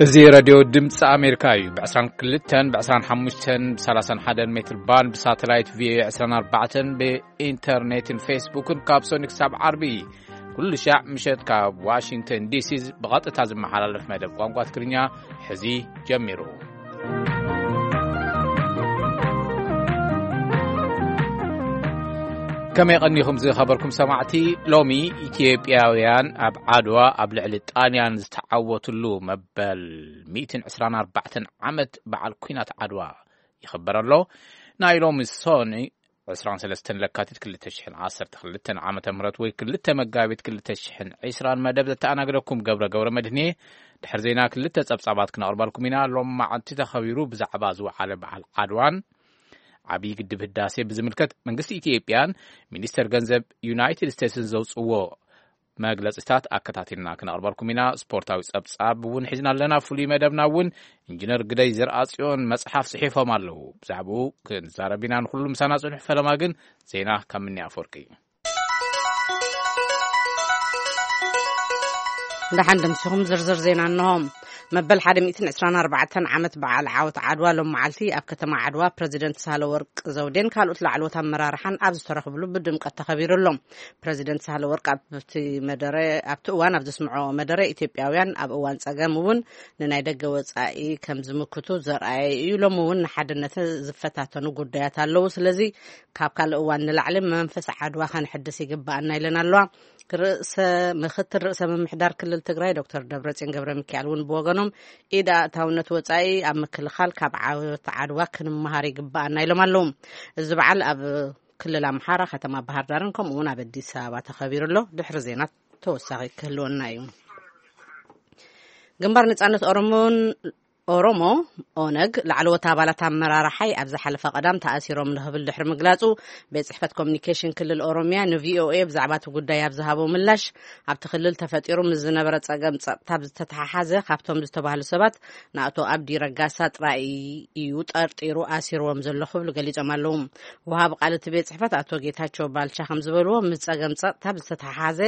እዚ ሬድዮ ድምፂ ኣሜሪካ እዩ። ብ22፣ ብ25፣ ብ31 ሜትር ባንድ፣ ብሳተላይት ቪኦኤ 24፣ ብኢንተርኔትን ፌስቡክን ካብ ሰኑይ ክሳብ ዓርቢ ኩሉ ሻዕ ምሸት ካብ ዋሽንግተን ዲሲ ብቐጥታ ዝመሓላለፍ መደብ ቋንቋ ትግርኛ ሕዚ ጀሚሩ። ከመይ ቀኒኹም ዝኸበርኩም ሰማዕቲ? ሎሚ ኢትዮጵያውያን ኣብ ዓድዋ ኣብ ልዕሊ ጣልያን ዝተዓወትሉ መበል 124 ዓመት በዓል ኲናት ዓድዋ ይኽበር ኣሎ። ናይ ሎሚ ሰኑይ 23 ለካቲት 2012 ዓመተ ምህረት ወይ ክልተ መጋቢት 2020 መደብ ዘተኣናግደኩም ገብረ ገብረ መድህኔ። ድሕሪ ዜና ክልተ ጸብጻባት ክነቕርበልኩም ኢና። ሎም መዓልቲ ተኸቢሩ ብዛዕባ ዝወዓለ በዓል ዓድዋን ዓብዪ ግድብ ህዳሴ ብዝምልከት መንግስቲ ኢትዮጵያን ሚኒስተር ገንዘብ ዩናይትድ ስቴትስን ዘውፅዎ መግለጽታት ኣከታቲልና ክነቕርበልኩም ኢና። ስፖርታዊ ጸብጻብ እውን ሒዝና ኣለና። ፍሉይ መደብና እውን ኢንጂነር ግደይ ዘርኣጽዮን መጽሓፍ ጽሒፎም ኣለዉ። ብዛዕባኡ ክንዛረብ ኢና። ንኹሉ ምሳና ጽንሑ። ፈለማ ግን ዜና ካብ ምኒ ኣፈወርቂ። ደሓን ደምሲኹም። ዝርዝር ዜና እንሆ። መበል 124 ዓመት በዓል ዓወት ዓድዋ ሎም መዓልቲ ኣብ ከተማ ዓድዋ ፕረዚደንት ሳህለወርቅ ዘውዴን ካልኦት ላዕለዎት ኣመራርሓን ኣብ ዝተረኽብሉ ብድምቀት ተኸቢሩ ኣሎ። ፕረዚደንት ሳህለወርቅ ኣብቲ መደረ፣ ኣብቲ እዋን ኣብ ዘስምዖ መደረ፣ ኢትዮጵያውያን ኣብ እዋን ጸገም እውን ንናይ ደገ ወጻኢ ከም ዝምክቱ ዘርኣየ እዩ። ሎሚ እውን ንሓድነት ዝፈታተኑ ጉዳያት ኣለዉ። ስለዚ ካብ ካልእ እዋን ንላዕሊ መንፈስ ዓድዋ ከነሕድስ ይግባኣና ኢለን ኣለዋ። ርእሰ፣ ምክትል ርእሰ ምምሕዳር ክልል ትግራይ ዶክተር ደብረጽዮን ገብረ ሚካኤል እውን ብወገኖም፣ ኢድ ኣእታውነት ወጻኢ ኣብ ምክልኻል ካብ ዓወት ዓድዋ ክንመሃር ይግባኣና ኢሎም ኣለዉ። እዚ በዓል ኣብ ክልል ኣምሓራ ከተማ ባህር ዳርን ከምኡ እውን ኣብ ኣዲስ ኣበባ ተኸቢሩ ኣሎ። ድሕሪ ዜና ተወሳኺ ክህልወና እዩ። ግንባር ነጻነት ኦሮሞን ኦሮሞ፣ ኦነግ፣ ላዕለዎት ኣባላት ኣመራርሓይ ኣብ ዝሓለፈ ቀዳም ተኣሲሮም ንክብል ድሕሪ ምግላጹ፣ ቤት ጽሕፈት ኮሚኒኬሽን ክልል ኦሮሚያ ንቪኦኤ ብዛዕባ እቲ ጉዳይ ኣብ ዝሃቦ ምላሽ፣ ኣብቲ ክልል ተፈጢሩ ምስ ዝነበረ ጸገም ጸጥታ ብዝተተሓሓዘ፣ ካብቶም ዝተባህሉ ሰባት ንኣቶ ኣብዲ ረጋሳ ጥራይ እዩ ጠርጢሩ ኣሲርዎም ዘሎ ክብሉ ገሊጾም ኣለዉ። ወሃቢ ቃል እቲ ቤት ጽሕፈት ኣቶ ጌታቸው ባልቻ ከም ዝበልዎ፣ ምስ ጸገም ጸጥታ ብዝተተሓሓዘ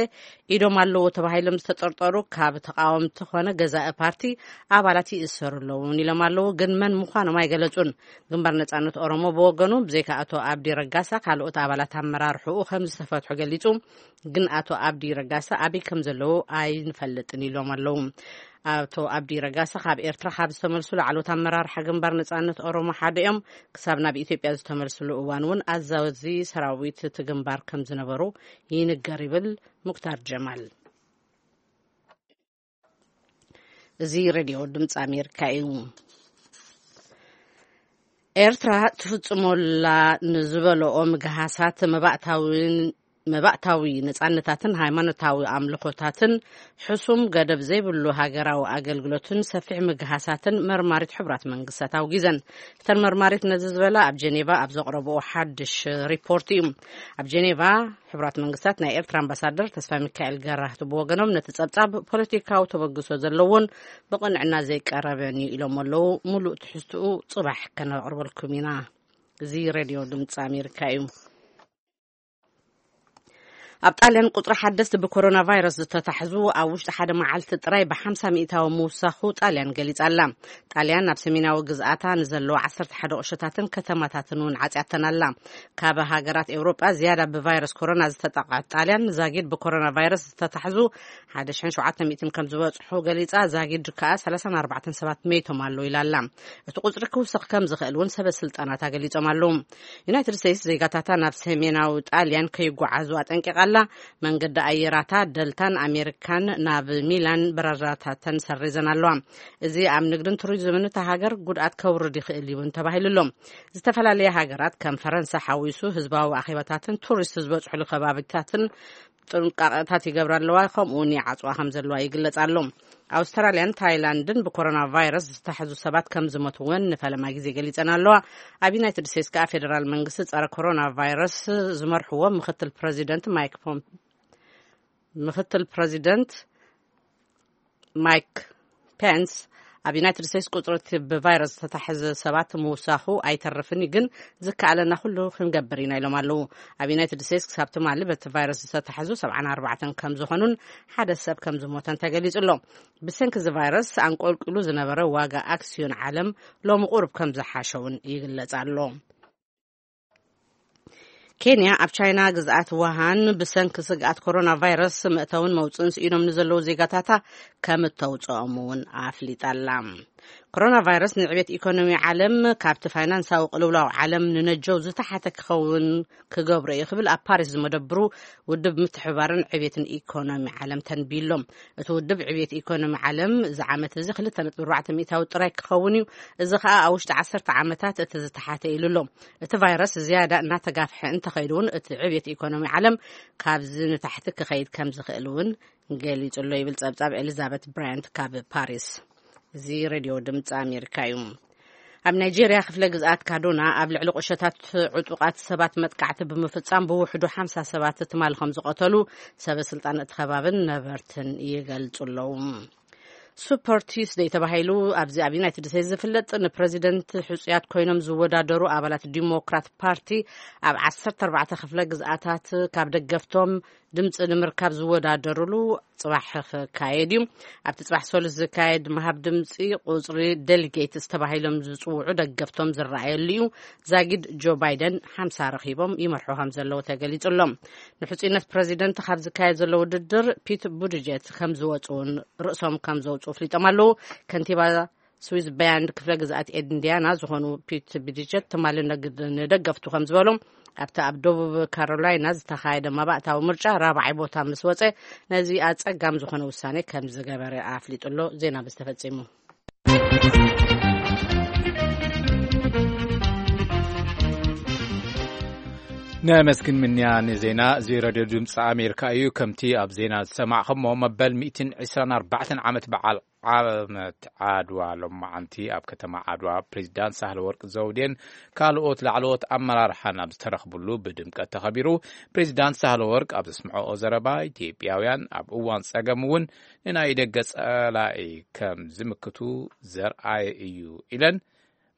ኢዶም ኣለዎ ተባሂሎም ዝተጠርጠሩ ካብ ተቃወምቲ ኮነ ገዛኢ ፓርቲ ኣባላት ይእሰሩ ኣለዉ እውን ኢሎም ኣለዉ። ግን መን ምዃኖም ኣይገለጹን። ግንባር ነጻነት ኦሮሞ ብወገኑ፣ ብዘይካ ኣቶ ኣብዲ ረጋሳ ካልኦት ኣባላት ኣመራርሕኡ ከም ዝተፈትሑ ገሊጹ። ግን ኣቶ ኣብዲ ረጋሳ ኣበይ ከም ዘለዉ ኣይንፈልጥን ኢሎም ኣለዉ። ኣቶ ኣብዲ ረጋሳ ካብ ኤርትራ ካብ ዝተመልሱ ላዕለዎት ኣመራርሓ ግንባር ነጻነት ኦሮሞ ሓደ እዮም። ክሳብ ናብ ኢትዮጵያ ዝተመልስሉ እዋን እውን ኣዛዚ ሰራዊት እቲ ግንባር ከም ዝነበሩ ይንገር ይብል ሙክታር ጀማል። እዚ ሬድዮ ድምፂ ኣሜሪካ እዩ። ኤርትራ ትፍጽሞላ ንዝበለኦ ምግሃሳት መባእታዊ፣ መባእታዊ ነጻነታትን ሃይማኖታዊ ኣምልኾታትን ሕሱም ገደብ ዘይብሉ ሃገራዊ ኣገልግሎትን ሰፊሕ ምግሃሳትን መርማሪት ሕቡራት መንግስታት ኣውጊዘን። እተን መርማሪት ነዚ ዝበላ ኣብ ጀኔቫ ኣብ ዘቕረብኦ ሓድሽ ሪፖርት እዩ። ኣብ ጀኔቫ ሕቡራት መንግስታት ናይ ኤርትራ ኣምባሳደር ተስፋ ሚካኤል ገራህቱ ብወገኖም፣ ነቲ ጸብጻብ ፖለቲካዊ ተበግሶ ዘለዎን ብቕንዕና ዘይቀረበን እዩ ኢሎም ኣለዉ። ሙሉእ ትሕዝትኡ ጽባሕ ከነቕርበልኩም ኢና። እዚ ሬድዮ ድምፂ ኣሜሪካ እዩ። ኣብ ጣልያን ቁጽሪ ሓደስቲ ብኮሮና ቫይረስ ዝተታሕዙ ኣብ ውሽጢ ሓደ መዓልቲ ጥራይ ብ50 ሚእታዊ ምውሳኹ ጣልያን ገሊጻ ኣላ። ጣልያን ኣብ ሰሜናዊ ግዝኣታ ንዘለዋ 11 ቁሸታትን ከተማታትን እውን ዓጽያተን ኣላ። ካብ ሃገራት ኤውሮጳ ዝያዳ ብቫይረስ ኮሮና ዝተጠቕዐት ጣልያን፣ ዛጊድ ብኮሮና ቫይረስ ዝተታሕዙ 1,700 ከም ዝበጽሑ ገሊጻ፣ ዛጊድ ከኣ 34 ሰባት መይቶም ኣለዉ ኢላ ኣላ። እቲ ቁጽሪ ክውስኽ ከም ዝኽእል እውን ሰበ ስልጣናት ኣገሊጾም ኣለዉ። ዩናይትድ ስቴትስ ዜጋታታ ናብ ሰሜናዊ ጣልያን ከይጓዓዙ ኣጠንቂቓ ኣላ። መንገዲ ኣየራታ ደልታን ኣሜሪካን ናብ ሚላን በረራታተን ሰሪዘን ኣለዋ። እዚ ኣብ ንግድን ቱሪዝምን እታ ሃገር ጉድኣት ከውርድ ይኽእል እውን ተባሂሉ ኣሎ። ዝተፈላለያ ሃገራት ከም ፈረንሳ ሓዊሱ ህዝባዊ ኣኼባታትን ቱሪስት ዝበጽሕሉ ከባቢታትን ጥንቃቐታት ይገብራ ኣለዋ፣ ከምኡ እውን ይዓጽዋ ከም ዘለዋ ይግለጽ ኣሎ። ኣውስትራልያን ታይላንድን ብኮሮና ቫይረስ ዝተታሕዙ ሰባት ከም ዝሞቱ እውን ንፈለማ ግዜ ገሊጸን ኣለዋ። ኣብ ዩናይትድ ስቴትስ ከኣ ፌደራል መንግስቲ ጸረ ኮሮና ቫይረስ ዝመርሕዎ ምክትል ፕረዚደንት ማይክ ፖም-፣ ምክትል ፕረዚደንት ማይክ ፔንስ ኣብ ዩናይትድ ስቴትስ ቁፅሪ እቲ ብቫይረስ ዝተታሕዘ ሰባት ምውሳኹ ኣይተርፍን እዩ፣ ግን ዝከኣለና ኩሉ ክንገብር ኢና ኢሎም ኣለዉ። ኣብ ዩናይትድ ስቴትስ ክሳብ ትማሊ በቲ ቫይረስ ዝተታሕዙ ሰብዓን ኣርባዕተን ከም ዝኾኑን ሓደ ሰብ ከም ዝሞተን ተገሊጹ ኣሎ። ብሰንኪ እዚ ቫይረስ ኣንቆልቂሉ ዝነበረ ዋጋ ኣክስዮን ዓለም ሎሚ ቁሩብ ከም ዝሓሸ እውን ይግለጽ ኣሎ። ኬንያ ኣብ ቻይና ግዝኣት ውሃን ብሰንኪ ስግኣት ኮሮና ቫይረስ መእተውን መውፅእን ስኢኖም ንዘለዉ ዜጋታታ ከም እተውፅኦም እውን ኣፍሊጣ ኣላ። ኮሮና ቫይረስ ንዕቤት ኢኮኖሚ ዓለም ካብቲ ፋይናንሳዊ ቅልውላው ዓለም ንነጀው ዝተሓተ ክኸውን ክገብሮ እዩ ክብል ኣብ ፓሪስ ዝመደብሩ ውድብ ምትሕብባርን ዕቤትን ኢኮኖሚ ዓለም ተንቢሎም። እቲ ውድብ ዕቤት ኢኮኖሚ ዓለም እዚ ዓመት እዚ ክልተ ነጥቢ ኣርባዕተ ሚእታዊ ጥራይ ክኸውን እዩ። እዚ ከኣ ኣብ ውሽጢ ዓሰርተ ዓመታት እቲ ዝተሓተ ኢሉ ኣሎ። እቲ ቫይረስ ዝያዳ እናተጋፍሐ እንተኸይዱ እውን እቲ ዕቤት ኢኮኖሚ ዓለም ካብዚ ንታሕቲ ክኸይድ ከም ዝኽእል እውን ገሊጹ ኣሎ ይብል ጸብጻብ ኤሊዛቤት ብራያንት ካብ ፓሪስ። እዚ ሬድዮ ድምፂ ኣሜሪካ እዩ። ኣብ ናይጄርያ ክፍለ ግዝኣት ካዱና ኣብ ልዕሊ ቁሸታት ዕጡቓት ሰባት መጥቃዕቲ ብምፍጻም ብውሕዱ ሓምሳ ሰባት ትማል ከም ዝቐተሉ ሰበ ስልጣን እቲ ከባብን ነበርትን ይገልጹ ኣለዉ። ሱፐር ቲስደይ ተባሂሉ ኣብዚ ኣብ ዩናይትድ ስቴትስ ዝፍለጥ ንፕረዚደንት ሕጹያት ኮይኖም ዝወዳደሩ ኣባላት ዲሞክራት ፓርቲ ኣብ ዓሰርተ ኣርባዕተ ክፍለ ግዝኣታት ካብ ደገፍቶም ድምፂ ንምርካብ ዝወዳደሩሉ ጽባሕ ክካየድ እዩ። ኣብቲ ጽባሕ ሰሉስ ዝካየድ ምሃብ ድምፂ ቁፅሪ ዴሊጌትስ ተባሂሎም ዝፅውዑ ደገፍቶም ዝረኣየሉ እዩ። ዛጊድ ጆ ባይደን ሓምሳ ረኺቦም ይመርሑ ከም ዘለዉ ተገሊጹ ኣሎ። ንሕጹይነት ፕረዚደንት ካብ ዝካየድ ዘሎ ውድድር ፒት ቡድጀት ከም ዝወፁ እውን ርእሶም ከም ዘውፅኡ ኣፍሊጦም ኣለዉ። ከንቲባ ስዊዝ ባንድ ክፍለ ግዝኣት ኢንዲያና ዝኾኑ ፒት ቡድጀት ትማሊ ነግ- ንደገፍቱ ከም ዝበሎም ኣብቲ ኣብ ደቡብ ካሮላይና ዝተኻየደ መባእታዊ ምርጫ ራብዓይ ቦታ ምስ ወፀ ነዚ ኣፀጋም ዝኾነ ውሳኔ ከም ዝገበረ ኣፍሊጡ ኣሎ። ዜና ብዝተፈጺሙ። ነመስግን ምንያ ንዜና እዚ ሬድዮ ድምፂ ኣሜሪካ እዩ። ከምቲ ኣብ ዜና ዝሰማዕኹሞ መበል ሚእትን ዕስራን ኣርባዕተን ዓመት በዓል ዓመት ዓድዋ ሎማዓንቲ ኣብ ከተማ ዓድዋ ፕሬዚዳንት ሳህለ ወርቅ ዘውዴን ካልኦት ላዕለዎት ኣመራርሓን ኣብ ዝተረኽብሉ ብድምቀት ተኸቢሩ። ፕሬዚዳንት ሳህለ ወርቅ ኣብ ዘስምዐኦ ዘረባ ኢትዮጵያውያን ኣብ እዋን ጸገም እውን ንናይ ደገ ጸላኢ ከም ዝምክቱ ዘርኣየ እዩ ኢለን።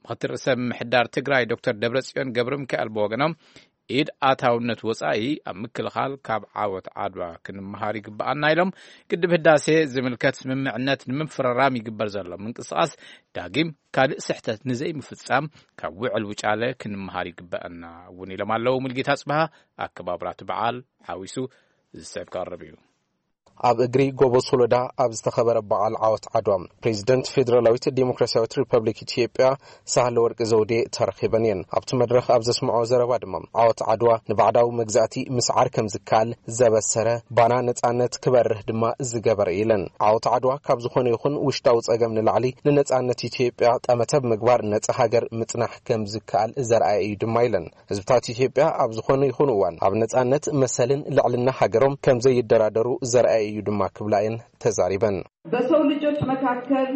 ምክትል ርእሰ ምምሕዳር ትግራይ ዶክተር ደብረጽዮን ገብረ ሚካኤል ብወገኖም ኢድ ኣታውነት ወጻኢ ኣብ ምክልኻል ካብ ዓወት ዓድዋ ክንመሃር ይግብኣና ኢሎም። ግድብ ህዳሴ ዝምልከት ስምምዕነት ንምፍርራም ይግበር ዘሎ ምንቅስቓስ ዳግም ካልእ ስሕተት ንዘይምፍጻም ካብ ውዕል ውጫለ ክንመሃር ይግበኣና እውን ኢሎም ኣለዉ። ሙልጌታ ጽብሃ ኣከባብራ እቲ በዓል ሓዊሱ ዝስዕብ ክቐርብ እዩ። ኣብ እግሪ ጎቦ ሶሎዳ ኣብ ዝተኸበረ በዓል ዓወት ዓድዋ ፕሬዚደንት ፌዴራላዊት ዴሞክራሲያዊት ሪፐብሊክ ኢትዮጵያ ሳህለ ወርቅ ዘውዴ ተረኺበን እየን። ኣብቲ መድረኽ ኣብ ዘስምዖ ዘረባ ድማ ዓወት ዓድዋ ንባዕዳዊ መግዛእቲ ምስዓር ከም ዝከኣል ዘበሰረ፣ ባና ነጻነት ክበርህ ድማ ዝገበረ ኢለን። ዓወት ዓድዋ ካብ ዝኾነ ይኹን ውሽጣዊ ጸገም ንላዕሊ ንነጻነት ኢትዮጵያ ጠመተ ብምግባር ነጻ ሃገር ምጽናሕ ከም ዝከኣል ዘርኣየ እዩ ድማ ኢለን። ህዝብታት ኢትዮጵያ ኣብ ዝኾነ ይኹን እዋን ኣብ ነጻነት መሰልን ልዕልና ሃገሮም ከም ዘይደራደሩ ዘርኣየ እዩ ድማ ክብላ እየን ተዛሪበን። በሰው ልጆች መካከል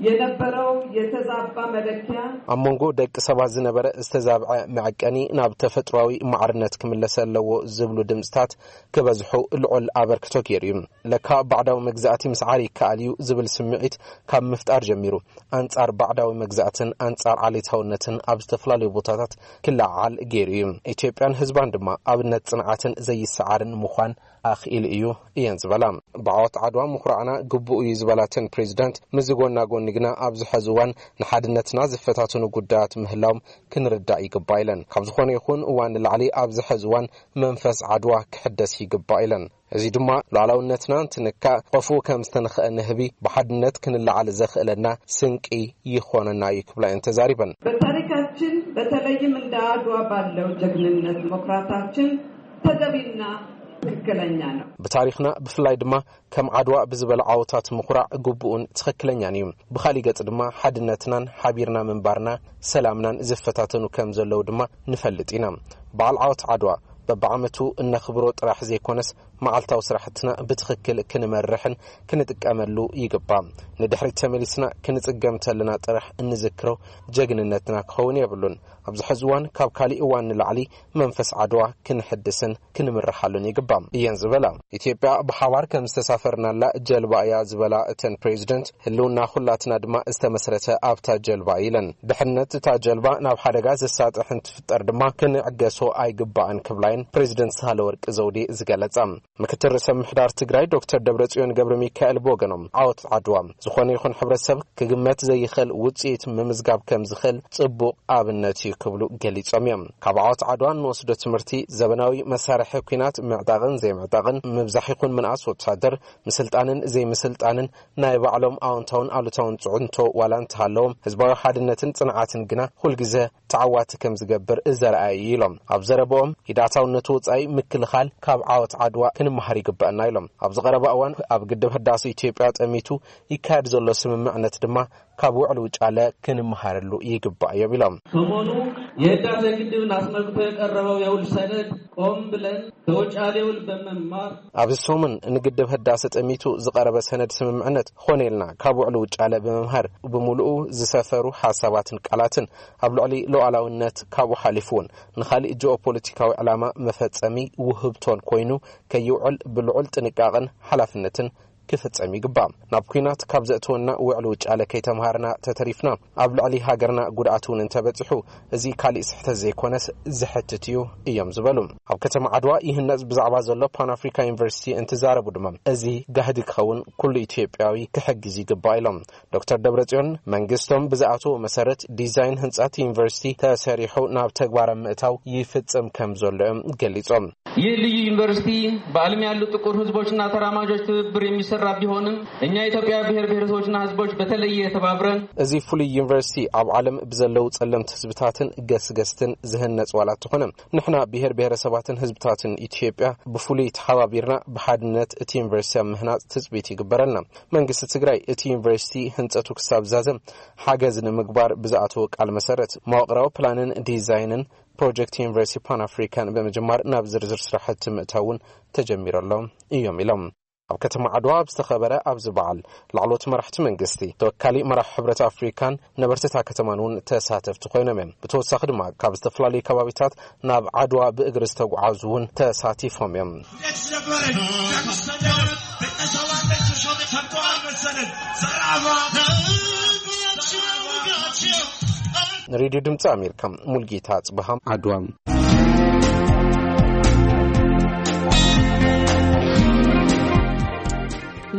የነበረው የተዛባ መለኪያ ኣብ መንጎ ደቂ ሰባት ዝነበረ ዝተዛብዐ መዐቀኒ ናብ ተፈጥሯዊ ማዕርነት ክምለስ ኣለዎ ዝብሉ ድምፅታት ክበዝሑ ልዑል ኣበርክቶ ገይሩ እዩ። ለካ ባዕዳዊ መግዛእቲ ምስዓር ይከኣል እዩ ዝብል ስምዒት ካብ ምፍጣር ጀሚሩ ኣንጻር ባዕዳዊ መግዛእትን ኣንጻር ዓሌታውነትን ኣብ ዝተፈላለዩ ቦታታት ክለዓዓል ገይሩ እዩ። ኢትዮጵያን ህዝባን ድማ ኣብነት ጽንዓትን ዘይሰዓርን ምዃን ኣኽኢሉ እዩ እየን ዝበላ። ብዓወት ዓድዋ ምኹራዕና ግቡእ እዩ ዝበላተን ፕሬዚዳንት፣ ምስዚ ጎና ጎኒ ግና ኣብዚ ሐዚ እዋን ንሓድነትና ዝፈታተኑ ጉዳያት ምህላዎም ክንርዳእ ይግባእ ኢለን። ካብ ዝኾነ ይኹን እዋን ንላዕሊ ኣብዚ ሐዚ እዋን መንፈስ ዓድዋ ክሕደስ ይግባእ ኢለን። እዚ ድማ ሉዓላውነትና እንትንካእ ቆፉ ከም ዝተንኸአ ንህቢ ብሓድነት ክንለዓል ዘኽእለና ስንቂ ይኾነና እዩ ክብላ እየን ተዛሪበን። በታሪካችን በተለይም እንደ አድዋ ባለው ጀግንነት መኩራታችን ተገቢና ትክክለኛ ነው። ብታሪኽና ብፍላይ ድማ ከም ዓድዋ ብዝበለ ዓወታት ምኹራዕ ግቡእን ትኽክለኛን እዩ። ብኻሊእ ገጽ ድማ ሓድነትናን ሓቢርና ምንባርና ሰላምናን ዝፈታተኑ ከም ዘለዉ ድማ ንፈልጥ ኢና። በዓል ዓወት ዓድዋ በብዓመቱ እነኽብሮ ጥራሕ ዘይኮነስ መዓልታዊ ስራሕትና ብትኽክል ክንመርሕን ክንጥቀመሉ ይግባእ። ንድሕሪት ተመሊስና ክንጽገም ተለና ጥራሕ እንዝክሮ ጀግንነትና ክኸውን የብሉን። ኣብዚ ሕዚ እዋን ካብ ካሊእ እዋን ንላዕሊ መንፈስ ዓድዋ ክንሕድስን ክንምርሓሉን ይግባእ እየን ዝበላ። ኢትዮጵያ ብሓባር ከም ዝተሳፈርናላ ጀልባ እያ ዝበላ እተን ፕሬዚደንት፣ ህልውና ኩላትና ድማ ዝተመስረተ ኣብታ ጀልባ እዩ ኢለን። ድሕነት እታ ጀልባ ናብ ሓደጋ ዘሳጥሕ እንትፍጠር ድማ ክንዕገሶ ኣይግባእን ክብላ እየን ፕሬዚደንት ሳህለወርቅ ዘውዴ ዝገለጻ። ምክትል ርእሰ ምምሕዳር ትግራይ ዶክተር ደብረጽዮን ገብረ ሚካኤል ብወገኖም፣ ዓወት ዓድዋ ዝኾነ ይኹን ሕብረተሰብ ክግመት ዘይኽእል ውጽኢት ምምዝጋብ ከም ዝኽእል ጽቡቕ ኣብነት እዩ ክብሉ ገሊጾም እዮም። ካብ ዓወት ዓድዋ እንወስዶ ትምህርቲ፣ ዘበናዊ መሳርሒ ኲናት ምዕጣቕን ዘይምዕጣቕን፣ ምብዛሕ ይኹን ምንኣስ ወታደር፣ ምስልጣንን ዘይምስልጣንን ናይ ባዕሎም ኣወንታውን ኣሉታውን ጽዕንቶ ዋላ እንተሃለዎም፣ ህዝባዊ ሓድነትን ጽንዓትን ግና ኩልግዘ ተዓዋቲ ከም ዝገብር ዘርኣየ እዩ ኢሎም። ኣብ ዘረባኦም፣ ሂደታውነቱ ወጻኢ ምክልኻል ካብ ዓወት ዓድዋ ክንመሃር ይግበኣና ኢሎም። ኣብዚ ቀረባ እዋን ኣብ ግድብ ህዳሴ ኢትዮጵያ ጠሚቱ ይካየድ ዘሎ ስምምዕነት ድማ ካብ ውዕል ውጫለ ክንመሃረሉ ይግባእ እዮም ኢሎም። ሰሞኑ የህዳሴ ግድብን አስመልክቶ የቀረበው የውል ሰነድ ቆም ብለን ከውጫሌ ውል በመማር፣ ኣብዚ ሰሙን ንግድብ ህዳሰ ጠሚቱ ዝቐረበ ሰነድ ስምምዕነት ኾነ ኢልና ካብ ውዕል ውጫለ ብምምሃር፣ ብምሉኡ ዝሰፈሩ ሓሳባትን ቃላትን ኣብ ልዕሊ ሉዓላውነት፣ ካብኡ ሓሊፉ እውን ንኻሊእ ጂኦፖለቲካዊ ዕላማ መፈጸሚ ውህብቶን ኮይኑ ከይውዕል ብልዑል ጥንቃቐን ሓላፍነትን ክፍጸም ይግባእ። ናብ ኲናት ካብ ዘእትወና ውዕል ውጫለ ከይተምሃርና ተተሪፍና፣ ኣብ ልዕሊ ሃገርና ጉድኣት እውን እንተበጺሑ፣ እዚ ካሊእ ስሕተት ዘይኮነስ ዘሕትት እዩ እዮም ዝበሉ። ኣብ ከተማ ዓድዋ ይህነጽ ብዛዕባ ዘሎ ፓን ኣፍሪካ ዩኒቨርሲቲ እንትዛረቡ ድማ፣ እዚ ጋህዲ ክኸውን ኩሉ ኢትዮጵያዊ ክሕግዝ ይግባእ ኢሎም። ዶክተር ደብረጽዮን መንግስቶም ብዝኣተዎ መሰረት ዲዛይን ህንጸት ዩኒቨርሲቲ ተሰሪሑ ናብ ተግባር ምእታው ይፍጽም ከም ዘሎ እዮም ገሊጾም። ይህ ልዩ ዩኒቨርሲቲ በዓለም ያሉ ጥቁር ህዝቦችና ተራማጆች ትብብር የሚሰራ ቢሆንም፣ እኛ የኢትዮጵያ ብሔር ብሔረሰቦችና ህዝቦች በተለየ ተባብረን፣ እዚ ፍሉይ ዩኒቨርሲቲ ኣብ ዓለም ብዘለዉ ጸለምቲ ህዝብታትን ገስገስትን ዝህነጽ ዋላ እንተኾነ፣ ንሕና ብሔር ብሔረሰባትን ህዝብታትን ኢትዮጵያ ብፍሉይ ተሓባቢርና ብሓድነት እቲ ዩኒቨርሲቲ ኣብ ምህናጽ ትጽቢት ይግበረልና። መንግስቲ ትግራይ እቲ ዩኒቨርሲቲ ህንጸቱ ክሳብ ዛዘም ሓገዝ ንምግባር ብዝኣተወ ቃል መሰረት፣ መዋቕራዊ ፕላንን ዲዛይንን ፕሮጀክት ዩኒቨርሲቲ ፓን ኣፍሪካን ብምጅማር ናብ ዝርዝር ስራሕቲ ምእታው እውን ተጀሚሩ ኣሎ እዮም ኢሎም። ኣብ ከተማ ዓድዋ ኣብ ዝተኸበረ ኣብዚ በዓል፣ ላዕለዎት መራሕቲ መንግስቲ፣ ተወካሊ መራሒ ሕብረት ኣፍሪካን ነበርቲ እታ ከተማን እውን ተሳተፍቲ ኮይኖም እዮም። ብተወሳኺ ድማ ካብ ዝተፈላለዩ ከባቢታት ናብ ዓድዋ ብእግሪ ዝተጓዓዙ እውን ተሳቲፎም እዮም። ንሬድዮ ድምፂ ኣሜሪካ፣ ሙልጌታ ጽብሃ፣ ዓድዋ።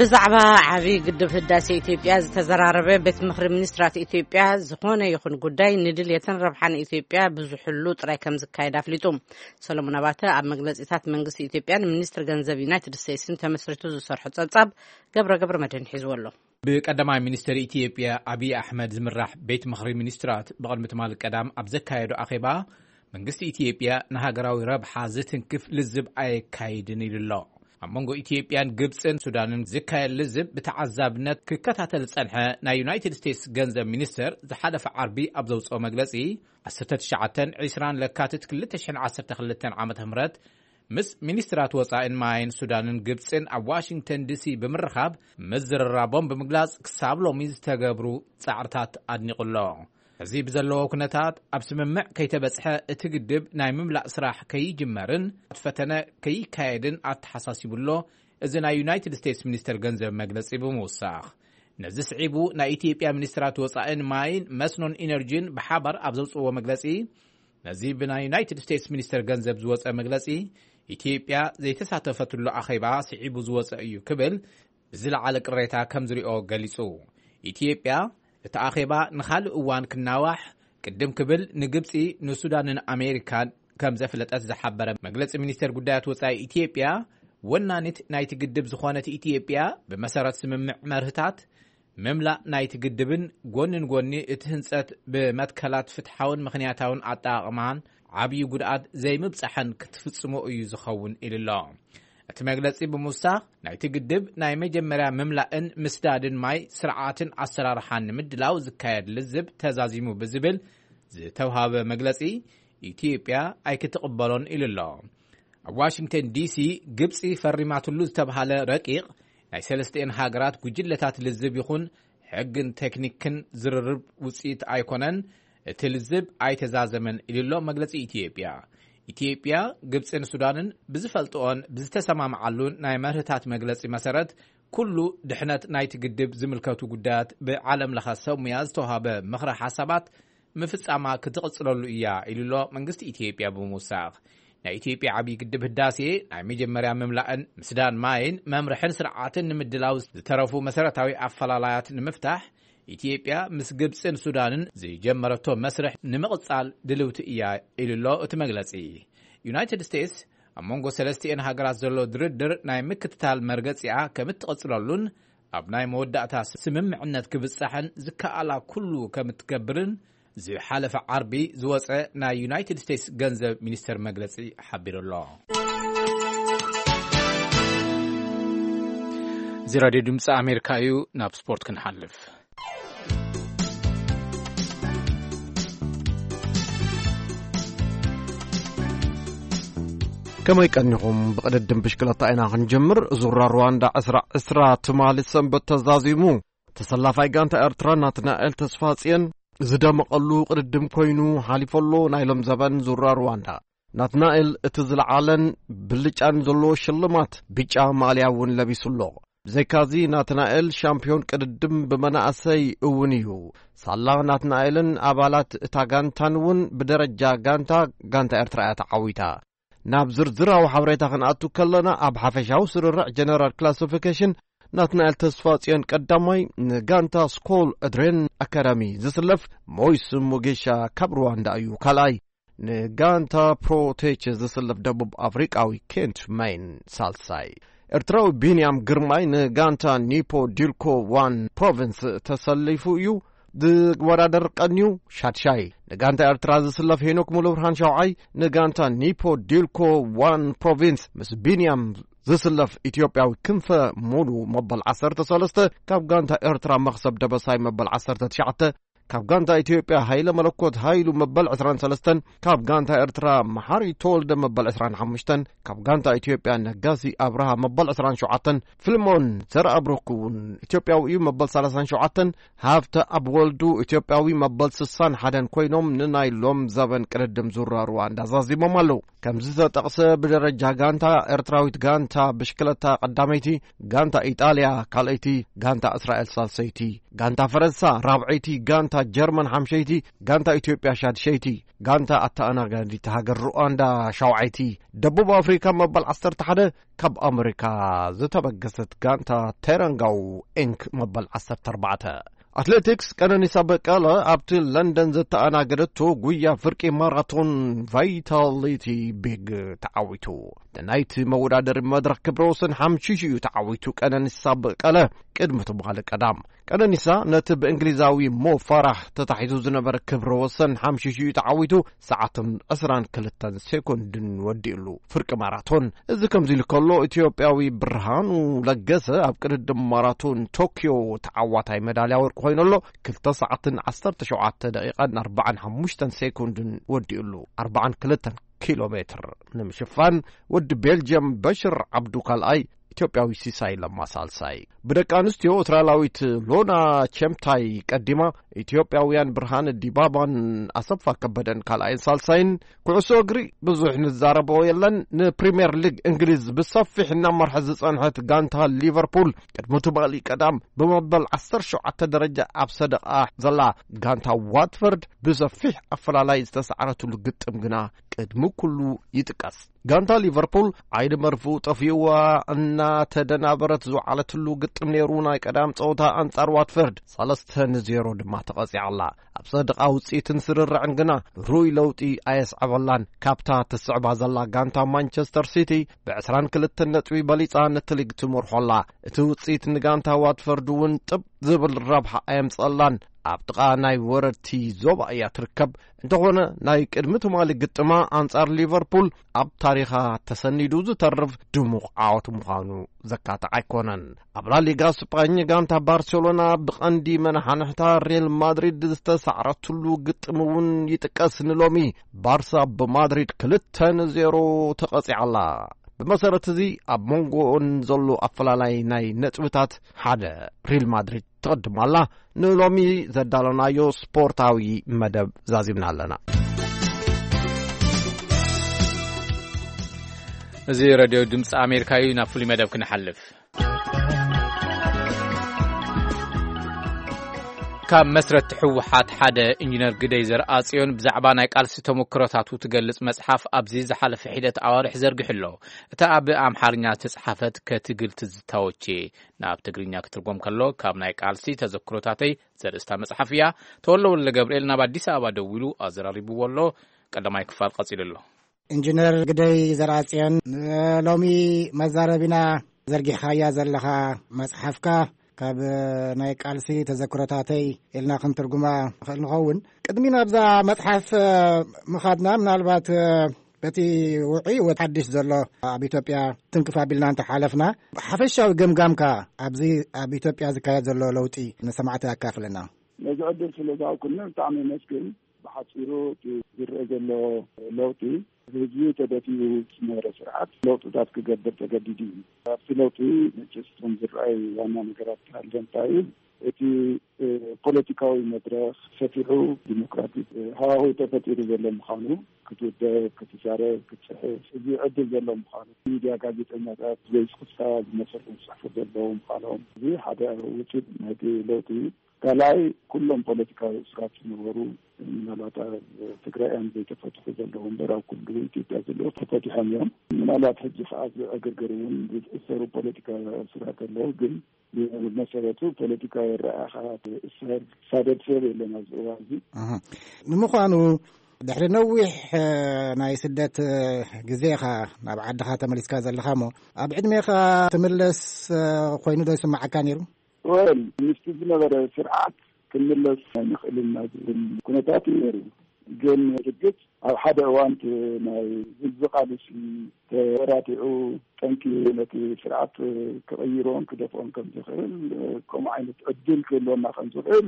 ብዛዕባ ዓብዪ ግድብ ህዳሴ ኢትዮጵያ ዝተዘራረበ ቤት ምኽሪ ሚኒስትራት ኢትዮጵያ፣ ዝኾነ ይኹን ጉዳይ ንድልየትን ረብሓን ኢትዮጵያ ብዝሕሉ ጥራይ ከም ዝካየድ ኣፍሊጡ። ሰሎሞን ኣባተ ኣብ መግለጺታት መንግስቲ ኢትዮጵያን ሚኒስትሪ ገንዘብ ዩናይትድ ስቴትስን ተመስሪቱ ዝሰርሖ ጸብጻብ ገብረ ገብረ መድህን ሒዝዎ ኣሎ። ብቀዳማይ ሚኒስትር ኢትዮጵያ ኣብይ ኣሕመድ ዝምራሕ ቤት ምኽሪ ሚኒስትራት ብቕድሚ ትማሊ ቀዳም ኣብ ዘካየዶ ኣኼባ፣ መንግስቲ ኢትዮጵያ ንሃገራዊ ረብሓ ዝትንክፍ ልዝብ ኣየካይድን ኢሉ ኣሎ። ኣብ መንጎ ኢትዮጵያን ግብጽን ሱዳንን ዝካየድ ልዝብ ብተዓዛብነት ክከታተል ዝጸንሐ ናይ ዩናይትድ ስቴትስ ገንዘብ ሚኒስትር ዝሓለፈ ዓርቢ ኣብ ዘውጽኦ መግለጺ፣ ዓሰርተ ትሽዓተን ዕስራን ለካቲት ክልተ ሽሕን ዓሰርተ ክልተን ዓመተ ምህረት ምስ ሚኒስትራት ወጻኢን ማይን ሱዳንን ግብጽን ኣብ ዋሽንግተን ዲሲ ብምርኻብ ምዝርራቦም ብምግላጽ፣ ክሳብ ሎሚ ዝተገብሩ ጻዕርታት ኣድኒቑ ኣሎ። እዚ ብዘለዎ ኩነታት ኣብ ስምምዕ ከይተበጽሐ እቲ ግድብ ናይ ምምላእ ስራሕ ከይጅመርን ፈተነ ከይካየድን ኣተሓሳሲቡ ኣሎ። እዚ ናይ ዩናይትድ ስቴትስ ሚኒስተር ገንዘብ መግለጺ ብምውሳኽ፣ ነዚ ስዒቡ ናይ ኢትዮጵያ ሚኒስትራት ወጻኢን ማይን መስኖን ኢነርጂን ብሓባር ኣብ ዘውጽእዎ መግለጺ፣ ነዚ ብናይ ዩናይትድ ስቴትስ ሚኒስተር ገንዘብ ዝወጸ መግለጺ፣ ኢትዮጵያ ዘይተሳተፈትሉ ኣኼባ ስዒቡ ዝወጸ እዩ ክብል ብዝለዓለ ቅሬታ ከም ዝሪኦ ገሊጹ። ኢትዮጵያ እቲ ኣኼባ ንኻልእ እዋን ክናዋሕ ቅድም ክብል ንግብጺ፣ ንሱዳንን ኣሜሪካን ከም ዘፍለጠት ዝሓበረ መግለጺ ሚኒስቴር ጉዳያት ወጻኢ ኢትዮጵያ፣ ወናኒት ናይቲ ግድብ ዝኾነት ኢትዮጵያ፣ ብመሰረት ስምምዕ መርህታት ምምላእ ናይቲ ግድብን ጎኒ ንጎኒ እቲ ህንጸት ብመትከላት ፍትሓውን ምኽንያታውን ኣጠቓቕማን ዓብዪ ጉድኣት ዘይምብጻሕን ክትፍጽሞ እዩ ዝኸውን ኢሉ ኣሎ። እቲ መግለጺ ብምውሳኽ፣ ናይቲ ግድብ ናይ መጀመርያ ምምላእን ምስዳድን ማይ ስርዓትን ኣሰራርሓን ንምድላው ዝካየድ ልዝብ ተዛዚሙ ብዝብል ዝተውሃበ መግለጺ፣ ኢትዮጵያ ኣይክትቕበሎን ኢሉ ኣሎ። ኣብ ዋሽንግተን ዲሲ ግብጺ ፈሪማትሉ ዝተብሃለ ረቂቕ ናይ ሰለስቲኤን ሃገራት ጉጅለታት ልዝብ ይኹን ሕግን ቴክኒክን ዝርርብ ውጽኢት ኣይኮነን። እቲ ልዝብ ኣይተዛዘመን ኢሉ ኣሎ መግለጺ ኢትዮጵያ። ኢትዮጵያ፣ ግብጽን ሱዳንን ብዝፈልጥኦን ብዝተሰማምዓሉን ናይ መርህታት መግለጺ መሰረት፣ ኩሉ ድሕነት ናይቲ ግድብ ዝምልከቱ ጉዳያት ብዓለም ለኸ ሰብ ሙያ ዝተዋህበ ምኽረ ሓሳባት ምፍጻማ ክትቕጽለሉ እያ ኢሉ ኣሎ መንግስቲ ኢትዮጵያ ብምውሳኽ። ናይ ኢትዮጵያ ዓብዪ ግድብ ህዳሴ ናይ መጀመርያ ምምላእን ምስዳን ማይን መምርሕን ስርዓትን ንምድላው ዝተረፉ መሰረታዊ ኣፈላላያት ንምፍታሕ፣ ኢትዮጵያ ምስ ግብጽን ሱዳንን ዝጀመረቶ መስርሕ ንምቕጻል ድልውቲ እያ ኢሉ ኣሎ እቲ መግለጺ። ዩናይትድ ስቴትስ ኣብ መንጎ ሰለስቲኤን ሃገራት ዘሎ ድርድር ናይ ምክትታል መርገጺኣ ከም እትቕጽለሉን ኣብ ናይ መወዳእታ ስምምዕነት ክብጻሕን ዝከኣላ ኩሉ ከም እትገብርን ዝሓለፈ ዓርቢ ዝወጸ ናይ ዩናይትድ ስቴትስ ገንዘብ ሚኒስተር መግለጺ ሓቢሩ ኣሎ። እዚ ራድዮ ድምፂ ኣሜሪካ እዩ። ናብ ስፖርት ክንሓልፍ። ከመይ ቀኒኹም? ብቕድድም ብሽክለታ ኢና ክንጀምር። ዙራ ሩዋንዳ ዕስራ ዕስራ ትማሊ ሰንበት ተዛዚሙ። ተሰላፋይ ጋንታ ኤርትራ ናትናኤል ተስፋጽዮን ዝደመቐሉ ቅድድም ኮይኑ ሓሊፎ ኣሎ። ናይ ሎም ዘበን ዙራ ሩዋንዳ ናትናኤል እቲ ዝለዓለን ብልጫን ዘለዎ ሽልማት ብጫ ማልያ እውን ለቢሱ ኣሎ። ብዘይካዚ ናትናኤል ሻምፒዮን ቅድድም ብመናእሰይ እውን እዩ። ሳላ ናትናኤልን ኣባላት እታ ጋንታን እውን ብደረጃ ጋንታ፣ ጋንታ ኤርትራ እያ ተዓዊታ። ናብ ዝርዝራዊ ሓበሬታ ክንኣቱ ከለና፣ ኣብ ሓፈሻዊ ስርርዕ ጀነራል ክላሲፊኬሽን ናትናኤል ተስፋጽዮን ቀዳማይ፣ ንጋንታ ስኮል ድሬን ኣካዳሚ ዝስለፍ ሞይስ ሙጌሻ ካብ ሩዋንዳ እዩ ካልኣይ፣ ንጋንታ ፕሮቴች ዝስለፍ ደቡብ ኣፍሪቃዊ ኬንት ማይን ሳልሳይ። ኤርትራዊ ቢንያም ግርማይ ንጋንታ ኒፖ ዲልኮ ዋን ፕሮቪንስ ተሰሊፉ እዩ ዝወዳደር ቀንዩ ሻድሻይ። ንጋንታ ኤርትራ ዝስለፍ ሄኖክ ሙሉብርሃን ሻውዓይ፣ ንጋንታ ኒፖ ዲልኮ ዋን ፕሮቪንስ ምስ ቢንያም ዝስለፍ ኢትዮጵያዊ ክንፈ ሙሉ መበል ዓሰርተ ሰለስተ፣ ካብ ጋንታ ኤርትራ መኽሰብ ደበሳይ መበል ዓሰርተ ትሽዓተ፣ ካብ ጋንታ ኢትዮጵያ ሃይለ መለኮት ሃይሉ መበል ዕስራን ሰለስተን፣ ካብ ጋንታ ኤርትራ መሓሪ ተወልደ መበል ዕስራን ሓሙሽተን፣ ካብ ጋንታ ኢትዮጵያ ነጋሲ ኣብርሃ መበል ዕስራን ሸውዓተን፣ ፊልሞን ዘርኣብሩክ እውን ኢትዮጵያዊ እዩ መበል ሰላሳን ሸውዓተን፣ ሃብተ ኣብ ወልዱ ኢትዮጵያዊ መበል ስሳን ሓደን ኮይኖም ንናይ ሎም ዘበን ቅድድም ዙራ ሩዋንዳ ዛዚሞም ኣለዉ። ከምዚ ዝተጠቕሰ ብደረጃ ጋንታ ኤርትራዊት ጋንታ ብሽክለታ ቀዳመይቲ፣ ጋንታ ኢጣልያ ካልኣይቲ፣ ጋንታ እስራኤል ሳልሰይቲ፣ ጋንታ ፈረንሳ ራብዐይቲ፣ ጋንታ ጀርመን ሓምሸይቲ፣ ጋንታ ኢትዮጵያ ሻድሸይቲ፣ ጋንታ ኣተኣናጋዲት ሃገር ሩዋንዳ ሻውዓይቲ፣ ደቡብ ኣፍሪካ መበል ዓሰርተ ሓደ፣ ካብ ኣመሪካ ዝተበገሰት ጋንታ ቴረንጋው ኢንክ መበል ዓሰርተ ኣርባዕተ። ኣትሌቲክስ፣ ቀነኒሳ በቀለ ኣብቲ ለንደን ዘተኣናገደቶ ጉያ ፍርቂ ማራቶን ቫይታሊቲ ቢግ ተዓዊቱ። ናይቲ መወዳደሪ መድረኽ ክብረ ወሰን ሓምሺሽ እዩ ተዓዊቱ። ቀነኒሳ በቀለ ቅድሚ ትማሊ ቀዳም። ቀነኒሳ ነቲ ብእንግሊዛዊ ሞ ፋራህ ተታሒዙ ዝነበረ ክብረ ወሰን ሓምሺሽ እዩ ተዓዊቱ። ሰዓትን ዕስራን ክልተን ሴኮንድን ወዲእሉ። ፍርቂ ማራቶን። እዚ ከምዚ ኢሉ ከሎ፣ ኢትዮጵያዊ ብርሃኑ ለገሰ ኣብ ቅድድም ማራቶን ቶክዮ ተዓዋታይ መዳልያ ወርቂ ኮይኑ ኣሎ። ክልተ ሰዓትን ዓሰርተ ሸውዓተ ደቂቓን ኣርባዓን ሓሙሽተን ሴኮንድን ወዲእሉ። ኣርባዓን ክልተን ኪሎ ሜትር ንምሽፋን፣ ወዲ ቤልጅየም በሽር ዓብዱ ካልኣይ፣ ኢትዮጵያዊ ሲሳይ ለማ ሳልሳይ። ብደቂ ኣንስትዮ፣ ኤርትራዊት ሎና ቸምታይ ቀዲማ፣ ኢትዮጵያውያን ብርሃነ ዲባባን ኣሰፋ ከበደን ካልኣይን ሳልሳይን። ኩዕሶ እግሪ ብዙሕ ንዛረቦ የለን። ንፕሪምየር ሊግ እንግሊዝ ብሰፊሕ እናመርሐት ዝጸንሐት ጋንታ ሊቨርፑል፣ ቅድሚ ትማሊ ቀዳም ብመበል ዓሰርተ ሸውዓተ ደረጃ ኣብ ሰደቓ ዘላ ጋንታ ዋትፈርድ ብሰፊሕ ኣፈላላይ ዝተሳዕረትሉ ግጥም ግና ቅድሚ ኩሉ ይጥቀስ። ጋንታ ሊቨርፑል ዓይኒ መርፍኡ ጠፊኡዋ እናተደናበረት ዝወዓለትሉ ግጥም ነይሩ። ናይ ቀዳም ጸወታ ኣንጻር ዋትፈርድ ሰለስተ ንዜሮ ድማ ተቐጺዓ ኣላ። ኣብ ሰደቓ ውጽኢትን ስርርዕን ግና ርኡይ ለውጢ ኣየስዐበላን። ካብታ ትስዕባ ዘላ ጋንታ ማንቸስተር ሲቲ ብዕስራን ክልተን ነጥቢ በሊጻ ነቲ ሊግ ትመርሖ ኣላ። እቲ ውጽኢት ንጋንታ ዋትፈርድ እውን ጥብ ዝብል ረብሓ ኣየምጸላን። ኣብ ጥቓ ናይ ወረድቲ ዞባ እያ ትርከብ። እንተኾነ፣ ናይ ቅድሚ ትማሊ ግጥማ ኣንጻር ሊቨርፑል ኣብ ታሪኻ ተሰኒዱ ዝተርፍ ድሙቕ ዓወት ምዃኑ ዘካትዕ ኣይኮነን። ኣብ ላሊጋ ስጳኝ ጋንታ ባርሴሎና ብቐንዲ መናሓንሕታ ሪያል ማድሪድ ዝተሳዕረትሉ ግጥም እውን ይጥቀስ። ንሎሚ ባርሳ ብማድሪድ ክልተ ንዜሮ ተቐጺዓ ኣላ። ብመሰረት እዚ ኣብ መንጎኦን ዘሎ ኣፈላላይ ናይ ነጥብታት ሓደ ሪል ማድሪድ ትቕድም ኣላ። ንሎሚ ዘዳለናዮ ስፖርታዊ መደብ ዛዚምና ኣለና። እዚ ሬድዮ ድምፂ ኣሜሪካ እዩ። ናብ ፍሉይ መደብ ክንሓልፍ። ካብ መስረቲ ህወሓት ሓደ ኢንጂነር ግደይ ዘርኣጽዮን ብዛዕባ ናይ ቃልሲ ተመክሮታቱ ትገልጽ መጽሓፍ ኣብዚ ዝሓለፈ ሒደት ኣዋርሕ ዘርጊሑ ኣሎ። እታ ኣብ ኣምሓርኛ ዝተጻሕፈት ከትግል ትዝታዎቼ ናብ ትግርኛ ክትርጎም ከሎ ካብ ናይ ቃልሲ ተዘክሮታተይ ዘርእስታ መጽሓፍ እያ። ተወልደ ወልደ ገብርኤል ናብ ኣዲስ ኣበባ ደዊሉ ኣዘራሪብዎ ኣሎ። ቀዳማይ ክፋል ቀጺሉ ኣሎ። ኢንጂነር ግደይ ዘርኣጽዮን፣ ንሎሚ መዛረቢና ዘርጊሕካያ ዘለኻ መጽሓፍካ ካብ ናይ ቃልሲ ተዘክሮታተይ ኢልና ክንትርጉማ ንኽእል ንኸውን። ቅድሚ ናብዛ መጽሓፍ ምኻድና፣ ምናልባት በቲ ውዑይ ወ ሓድሽ ዘሎ ኣብ ኢትዮጵያ ትንክፍ ኣቢልና እንተሓለፍና፣ ሓፈሻዊ ገምጋምካ ኣብዚ ኣብ ኢትዮጵያ ዝካየድ ዘሎ ለውጢ ንሰማዕቲ ኣካፍለና። ነዚ ዕድል ስለ ዝሃብኩኒ ብጣዕሚ የመስግን። ብሓጺሩ እቲ ዝረአ ዘሎ ለውጢ፣ ህዝቢ ተደፊኡ ዝነበረ ስርዓት ለውጥታት ክገብር ተገዲዱ እዩ። ኣብቲ ለውጢ መቸስ እቶም ዝረኣዩ ዋና ነገራት ክሃልዎ እንታይ እዩ፣ እቲ እ፣ ፖለቲካዊ መድረኽ ሰፊሑ፣ ዲሞክራቲክ እ፣ ሃዋህው ተፈጢሩ ዘሎ ምዃኑ፣ ክትውደብ፣ ክትዛረብ፣ ክትጽሕፍ እዚ ዕድል ዘሎ ምዃኑ፣ ሚድያ፣ ጋዜጠኛታት ዘይስክፍታ ዝመሰሉ ዝጽሕፉ ዘለዉ ምዃኖም፣ እዚ ሓደ ውጽኢት ናይቲ ለውጢ እዩ። ካልኣይ፣ ኩሎም ፖለቲካዊ እስራት ዝነበሩ፣ ምናልባት ኣብ ትግራይ እዮም ዘይተፈትሑ ዘለዉ እምበር፣ ኣብ ኩሉ ኢትዮጵያ ዘለዉ ተፈቲሖም እዮም። ምናልባት ሕጂ ከኣ ዝዕግርግር እውን ዝእሰሩ ፖለቲካዊ እስራት ኣለዉ፣ ግን ብመሰረቱ ፖለቲካዊ ኣረኣእያ ትእሰር፣ ትሳደድ ሰብ የለን ኣብዚ እዋን እዚ። እህ። ንምዃኑ፣ ድሕሪ ነዊሕ፣ እ፣ ናይ ስደት፣ እ፣ ግዜ ኢኻ ናብ ዓድኻ ተመሊስካ ዘለኻ እሞ፣ ኣብ ዕድሜኻ ትምለስ፣ እ፣ ኮይኑ ዶ ይስምዓካ ነይሩ? ወል፣ ምስቲ ዝነበረ ስርዓት ክንምለስ ኣይንኽእልን ኢና ዝብል ኩነታት እዩ ነይሩ። ግን ርግጽ ኣብ ሓደ እዋን እቲ ናይ ህዝቢ ቃልሲ ተወዳዲዑ ጠንኪ ነቲ ስርዓት ክቕይሮን ክደፍኦን ከም ዝኽእል ከምኡ ዓይነት ዕድል ክህልወና ከም ዝኽእል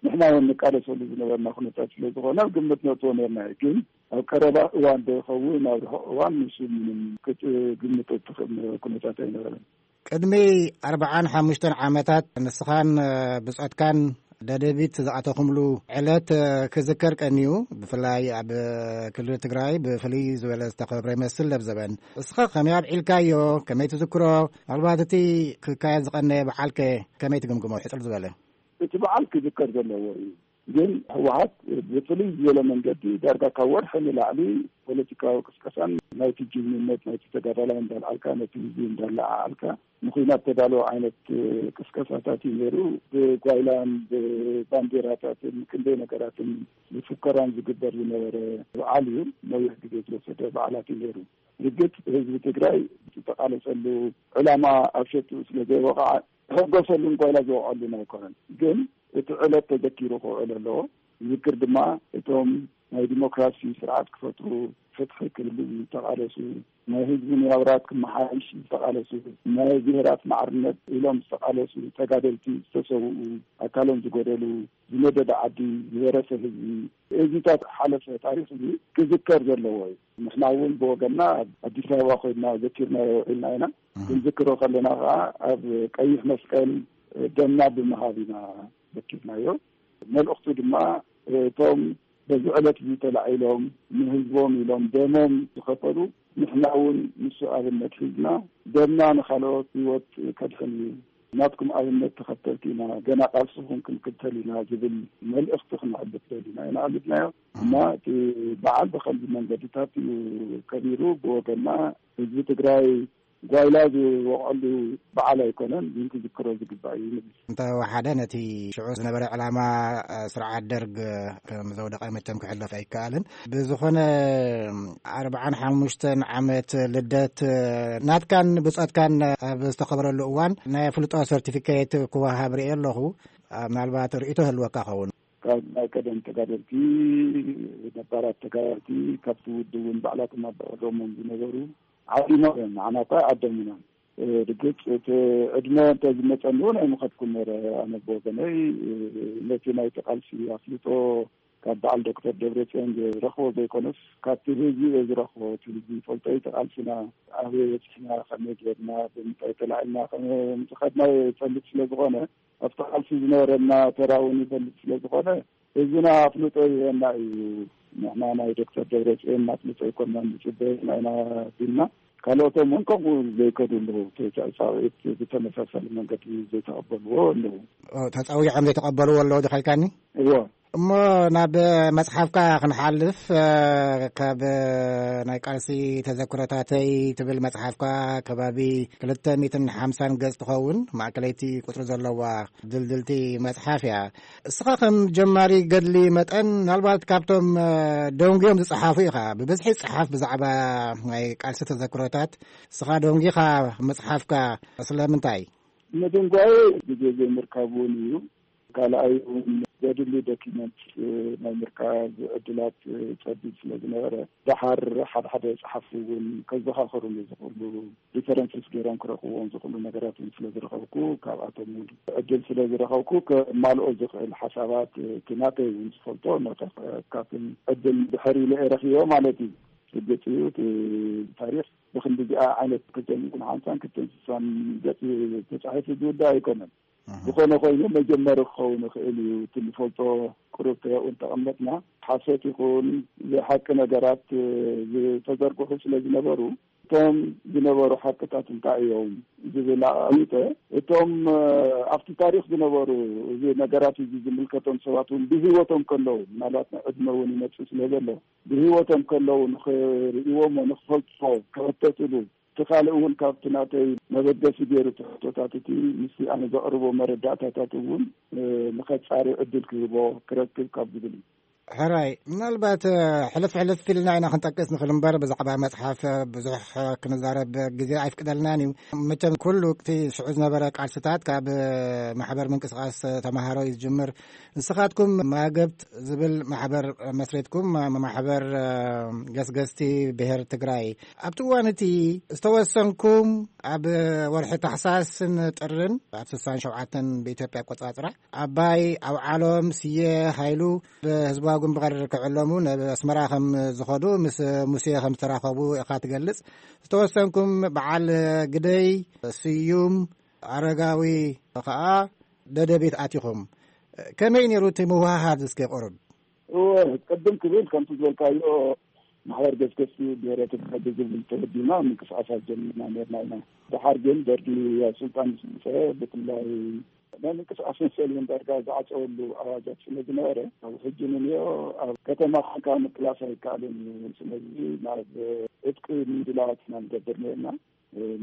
ንሕና እውን ንቃለሰሉ ዝነበርና ኩነታት ስለ ዝኾነ ኣብ ግምት ነእትዎ ነርና እዩ። ግን ኣብ ቀረባ እዋን ዶ ይኸውን ኣብ ርሑቕ እዋን ንሱ ምንም ክት-፣ ግምት እትኽእል ኩነታት ኣይነበረን። ቅድሚ ኣርብዓን ሓሙሽተን ዓመታት ንስኻን፣ እ፣ ብጾትካን ደደቢት ዝኣተኹምሉ ዕለት፣ እ፣ ክዝከር ቀንዩ። ብፍላይ ኣብ ክልል ትግራይ ብፍልይ ዝበለ ዝተኸብረ ይመስል ለብዘበን። እስኻ ከመይ ኣብዒልካዮ? ከመይ ትዝክሮ? ምናልባት እቲ ክካየድ ዝቐነየ በዓልከ ከመይ ትግምግሞ? ሕጽር ዝበለ። እቲ በዓል ክዝከር ዘለዎ እዩ። ግን ህወሓት ብፍልይ ዝበለ መንገዲ ዳርጋ ካብ ወርሒ ንላዕሊ ፖለቲካዊ ቅስቀሳን ናይቲ ጅግንነት ናይቲ ተጋዳላይ እንዳልዓልካ ነቲ ህዝቢ እንዳለዓዓልካ ንኹናት ተዳለወ ዓይነት ቅስቀሳታት እዩ ነይሩ። ብጓይላን ብባንዴራታትን ክንደይ ነገራትን ብፉከራን ዝግበር ዝነበረ በዓል እዩ። ነዊሕ ግዜ ዝወሰደ በዓላት እዩ ነይሩ። ርግጥ ህዝቢ ትግራይ ዝተቃለሰሉ ዕላማ ኣብ ሸትኡ ስለ ዘይወቕዓ ተሕጎሰሉን ጓይላ ዝወቕዐሉን ኣይኮነን። ግን እቲ ዕለት ተዘኪሩ ክውዕል ኣለዎ። ዝዝክር ድማ እቶም ናይ ዲሞክራሲ ስርዓት ክፈጥሩ፣ ፍትሒ ክህሉ ዝተቃለሱ፣ ናይ ህዝቢ ናብራት ክመሓየሽ ዝተቃለሱ፣ ናይ ብሄራት ማዕርነት ኢሎም ዝተቃለሱ ተጋደልቲ ዝተሰውኡ፣ ኣካሎም ዝጎደሉ፣ ዝነደደ ዓዲ፣ ዝወረሰ ህዝቢ፣ እዚታት ሓለፈ ታሪኽ እዚ ክዝከር ዘለዎ እዩ። ንሕና እውን ብወገንና ኣብ ኣዲስ ኣበባ ኮይንና ዘኪርናዮ ውዒልና ኢና። እህ። ክንዝክሮ ከለና ከዓ ኣብ ቀይሕ መስቀል ደምና ብምሃብ ኢና ዘኪርናዮ። መልእኽቱ ድማ እቶም በዚ ዕለት እዚ ተላዒሎም ንህዝቦም ኢሎም ደሞም ዝኸፈሉ ንሕና እውን ንሱ ኣብነት ሒዝና ደምና ንኻልኦት ህይወት ከድሕን እዩ። ናትኩም ኣብነት ተኸተልቲ ኢና፣ ገና ቃልስኹም ክንክተል ኢና ዝብል መልእኽቲ ክነዕልፍ ደሊና ኢና ኣዕሊፍናዮ። እህ። እና እቲ በዓል ብኸምዚ መንገድታት እዩ ከቢሩ። ብወገንና ህዝቢ ትግራይ ጓይላ ዝወቕዐሉ በዓል ኣይኮነን፣ ግን ክዝክሮ ዝግባእ እዩ ንብል። እንተወሓደ ነቲ ሽዑ ዝነበረ ዕላማ፣ እ፣ ስርዓት ደርግ ከም ዘውደቐ መቸም ክሕለፍ ኣይከኣልን። ብዝኾነ ኣርብዓን ሓሙሽተን ዓመት ልደት፣ እ፣ ናትካን ብጾትካን ኣብ ዝተኸበረሉ እዋን ናይ ኣፍልጦ ሰርቲፊኬት ክወሃብ ርእየ ኣለኹ። እ፣ ምናልባት ርእይቶ ህልወካ ኸውን። ካብ ናይ ቀደም ተጋደልቲ ነባራት ተጋደልቲ ካብቲ ውድብ እውን ባዕላቶም ኣባዕሎሞም ዝነበሩ ዓዲሞም እዮም። ንዓና እኳ ኣይዓደሙናን። እ፣ ርግጽ እቲ ዕድመ እንተ ዝመጸኒ እውን ኣይምኸድኩን ነይረ። ኣነ ብወገነይ፣ እ፣ ነቲ ናይቲ ቃልሲ ኣፍልጦ ካብ በዓል ዶክተር ደብረፅዮን ዝረኽቦ ዘይኮነስ፣ ካብቲ ህዝቢ እየ ዝረኽቦ። እቲ ህዝቢ ይፈልጦ እዩ። ተቓልስና ኣበይ በፂሕና፣ ከመይ ጌርና፣ ብምንታይ ተላዒልና ከም ዝኸድና ይፈልጥ ስለ ዝኾነ፣ ኣብቲ ቃልሲ ዝነበረና ተራ እውን ይፈልጥ ስለ ዝኾነ፣ ህዝብና ኣፍልጦ ይህበና እዩ። ንሕና ናይ ዶክተር ደብረፅዮን ኣፍልጦ ኣይኮናን ንፅበ፣ ናይና ቢልና፣ ካልኦቶም እውን ከምኡ ዘይከዱ ኣለዉ። ተጻውዒት ብተመሳሳሊ መንገዲ ዘይተቐበልዎ ኣለዉ። ተጻዊዖም ዘይተቐበልዎ ኣለዉ ዶ ከልካኒ? እዎ። እሞ ናብ መጽሓፍካ ክንሓልፍ፣ እ፣ ካብ ናይ ቃልሲ ተዘክሮታተይ ትብል መጽሓፍካ ከባቢ ክልተ ሚእትን ሓምሳን ገጽ ትኸውን፣ ማእከለይቲ ቁጽሪ ዘለዋ ድልድልቲ መጽሓፍ እያ። እስኻ ከም ጀማሪ ገድሊ መጠን፣ ምናልባት ካብቶም፣ እ፣ ደንጉዮም ዝጸሓፉ ኢኻ። ብብዝሒ ጸሓፍ ብዛዕባ ናይ ቃልሲ ተዘክሮታት። እስኻ ደንጊኻ ምጽሓፍካ ስለምንታይ? ምድንጓየ ግዜ ዘይምርካብ እውን እዩ። ካልኣይ እውን ዘድሊ ዶኪመንት፣ እ፣ ናይ ምርካብ ዕድላት፣ እ፣ ጸቢብ ስለ ዝነበረ፣ ደሓር ሓደ ሓደ ጸሓፍቲ እውን ከዘኻኸሩኒ ዝኽእሉ ሪፈረንስስ ገይሮም ክረኽብዎም ዝኽእሉ ነገራት እውን ስለ ዝረኸብኩ፣ ካብኣቶም እውን ዕድል ስለ ዝረኸብኩ፣ ከማልኦ ዝኽእል ሓሳባት፣ እ፣ እቲ ናተይ እውን ዝፈልጦ፣ ነተካትን ዕድል ድሕር ኢለ እየ ረኺቦ ማለት እዩ። ርግጽ እዩ፣ እቲ ታሪኽ ብክንዲዚኣ ዓይነት ክልተ ሚእትን ሓምሳን ክልተ ሚእትን ስሳን ገጽ ተጻሒፉ ዝውዳእ ኣይኮነን። ኣሃ። ዝኾነ ኮይኑ መጀመሪ ክኸውን ይኽእል እዩ። እቲ ንፈልጦ ቁሩብ ተያኡ እንተቐመጥና፣ ሓሶት ይኹን ዘይሓቂ ነገራት፣ እ፣ ዝተዘርግሑ ስለ ዝነበሩ፣ እቶም ዝነበሩ ሓቅታት እንታይ እዮም ዝብል ኣቐሚጠ፣ እቶም፣ እ፣ ኣብቲ ታሪኽ ዝነበሩ፣ እዚ ነገራት እዚ ዝምልከቶም ሰባት እውን ብህይወቶም ከለዉ፣ ምናልባት ዕድመ እውን ይመጽእ ስለ ዘሎ፣ ብህይወቶም ከለዉ ንኽርእይዎም ንኽፈልጥዎ ክሕተትሉ፣ እቲ ካልእ እውን ካብቲ ናተይ መበገሲ ገይሩ እቲ ሕቶታት እቲ ምስቲ ኣነ ዘቕርቦ መረዳእታታት እውን፣ እ፣ ንኸጻሪ ዕድል ክህቦ ክረክብ ካብ ዝብል እዩ። ሕራይ፣ ምናልባት፣ እ፣ ሕልፍ ሕልፍ ኢልና ኢና ክንጠቅስ ንኽእል እምበር፣ ብዛዕባ መጽሓፍ ብዙሕ ክንዛረብ ግዜ ኣይፍቅደልናን እዩ። መቸም ኩሉ እቲ ሽዑ ዝነበረ ቃልስታት ካብ ማሕበር ምንቅስቃስ ተማሃሮ እዩ ዝጅምር። ንስኻትኩም ማገብት ዝብል ማሕበር መስሪትኩም፣ ማሕበር፣ እ፣ ገስገስቲ ብሔር ትግራይ። ኣብቲ እዋን እቲ ዝተወሰንኩም ኣብ ወርሒ ታሕሳስን ጥርን ኣብ ስሳን ሸውዓተን ብኢትዮጵያ ኣቆጻጽራ ኣባይ ኣውዓሎም ስየ ሃይሉ ብህዝባዊ ግንባር ክዕለሙ ናብ ኣስመራ ከም ዝኸዱ ምስ ሙሴ ከም ዝተራኸቡ ኢኻ ትገልጽ። ዝተወሰንኩም በዓል ግደይ ስዩም ኣረጋዊ ኸኣ ደደቢት ኣቲኹም። ከመይ ነይሩ እቲ ምውህሃድ እስከ ቁሩብ? እወ፣ ቅድም ክብል ከምቲ ዝበልካዮ ማሕበር ገስገስቲ ብሔረ ትግራይ ብዝብል ተወዲና ምንቅስቃሳት ጀሚርና ነርና ኢና። ድሓር ግን ደርጊ ኣብ ስልጣን ምስ መጸ ብፍላይ ናይ ምንቅስቃስ መሰል እውን ዳርጋ ዝዓጸወሉ ኣዋጃት ስለ ዝነበረ፣ ኣብ ሕጂ ንንዮ ኣብ ከተማ ኮንካ ምቅላስ ኣይከኣልን እዩ። ስለዚ ናብ ዕጥቂ ምድላዋት ኢና ንገብር ነርና።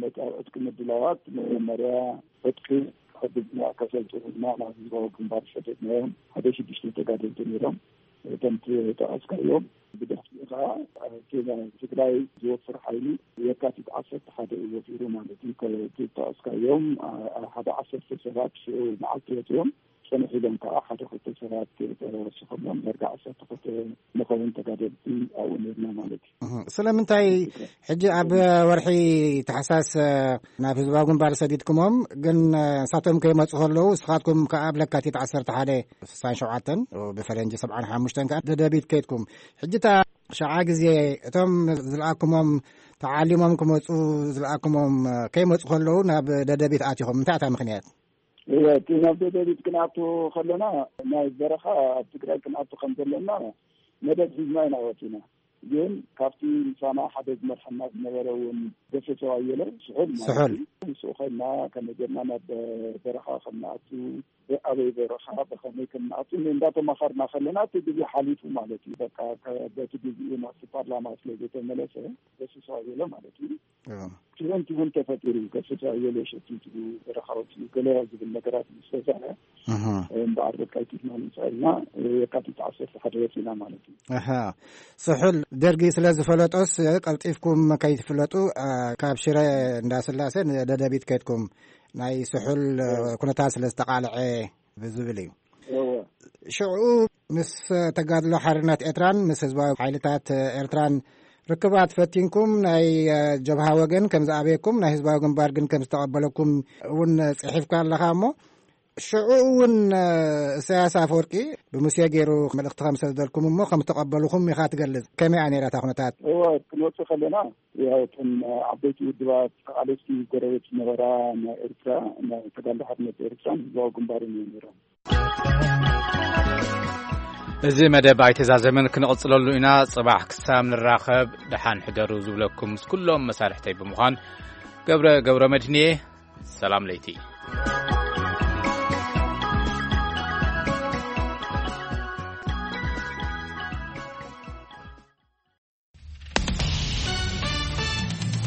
ነቲ ኣብ ዕጥቂ ምድላዋት መጀመርያ ዕጥቂ ከሕግዝና ከሰልጥኑና ናብ ህዝባዊ ግንባር ሰደድናዮም። ሓደ ሽዱሽተ ተጋደልቲ ነይሮም። እቶም ዝጠቐስካዮም ብድሕሪኡ ከዓ እቲ ናይ ትግራይ ዝወፍር ሓይሊ የካቲት ዓሰርተ ሓደ እዩ ወፊሩ ማለት እዩ። እቲ ዝጠቐስካዮም ሓደ ዓሰርተ ሰባት ሽዑ መዓልቲ ወፂኦም። ጽንሕ ኢሎም ከዓ ሓደ ክልተ ሰባት ተወሲኾም እዮም። ዳርጋ ዓሰርተ ክልተ ንኸውን ተጋደልቲ ኣብኡ ነርና ማለት እዩ። እህ፣ ስለምንታይ ሕጂ ኣብ ወርሒ ታሕሳስ፣ እ፣ ናብ ህዝባዊ ግንባር ሰዲድኩሞም፣ ግን፣ እ፣ ንሳቶም ከይመጹ ከለዉ፣ ንስኻትኩም ከኣ ኣብ ለካቲት ዓሰርተ ሓደ ስሳን ሸውዓተን፣ ብፈረንጂ ሰብዓን ሓሙሽተን ከኣ ደደቢት ከይድኩም። ሕጂ እታ ሸዓ ግዜ እቶም ዝለኣኩሞም ተዓሊሞም ክመጹ ዝለኣኩሞም፣ እ፣ ከይመጹ ከለዉ ናብ ደደቢት ኣቲኹም። እንታይ እታ ምኽንያት? እወ፣ እቲ ናብ ደደቢት ክንኣቱ ከለና፣ ናይ በረኻ ኣብ ትግራይ ክንኣቱ ከም ዘለና መደብ ሒዝና ኢና ወፂና። ግን ካብቲ ምሳና ሓደ ዝመርሐና ዝነበረ እውን ገሰሰው ኣየለ ስሑል ማለት ስሑል። እዩ። ምስኡ ኮይና ከመይ ጌርና ናብ በረኻ ከም ንኣቱ፣ ኣበይ በረኻ፣ ብኸመይ ከም ንኣቱ እንዳተማኸርና ከለና እቲ ግዜ ሓሊፉ ማለት እዩ። በቃ ከ-፣ በቲ ግዜኡ ናብቲ ፓርላማ ስለ ዘይተመለሰ ገሰሰው ኣየለ ማለት እዩ። እዎ። ትሁን ትሁን ተፈጢሩ፣ ገሰሰው ኣየለ ሸቲቱ፣ በረኻ ወፂኡ፣ ገለ ዝብል ነገራት ምስ ተሰርሐ፣ እህ። እምበኣር በቃ ይትግና ንፅዕልና፣ የካቲት ዓሰርተ ሓደ ወፂና ማለት እዩ። ኣሃ። ስሑል ደርጊ ስለ ዝፈለጦስ፣ ቀልጢፍኩም ከይትፍለጡ፣ እ፣ ካብ ሽረ እንዳስላሴ ንደደቢት ከይድኩም፣ ናይ ስሑል፣ እ፣ እዎ። ኩነታት ስለ ዝተቓልዐ ብዝብል እዩ። እዎ። ሽዑ ምስ ተጋድሎ ሓርነት ኤርትራን ምስ ህዝባዊ ሓይልታት ኤርትራን ርክባት ፈቲንኩም፣ ናይ፣ እ፣ ጀብሃ ወገን ከም ዝኣበየኩም፣ ናይ ህዝባዊ ግንባር ግን ከም ዝተቐበለኩም እውን ጽሒፍካ ኣለኻ እሞ፣ ሽዑ እውን እሳያስ ኣፈወርቂ ብሙሴ ገይሩ መልእኽቲ ከም ሰደደልኩም እሞ ከም ተቐበልኹም ኢኻ ትገልጽ። ከመይ እያ ነይራ እታ ኩነታት? እወ፣ ክንወጽእ ከለና ያው እቶም ዓበይቲ ውድባት ተቓለስቲ ጎረቤት ዝነበራ ናይ ኤርትራ፣ ናይ ተጋድሎ ሓርነት ኤርትራን ህዝባዊ ግንባርን እዮም ነይሮም። እዚ መደብ ኣይተዛዘምን፣ ክንቕጽለሉ ኢና። ጽባሕ ክሳብ ንራኸብ ደሓን ሕደሩ ዝብለኩም ምስ ኩሎም መሳርሕተይ ብምዃን ገብረ ገብረ መድህንየ። ሰላም ለይቲ።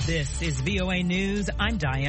This is V O A News. I'm Diane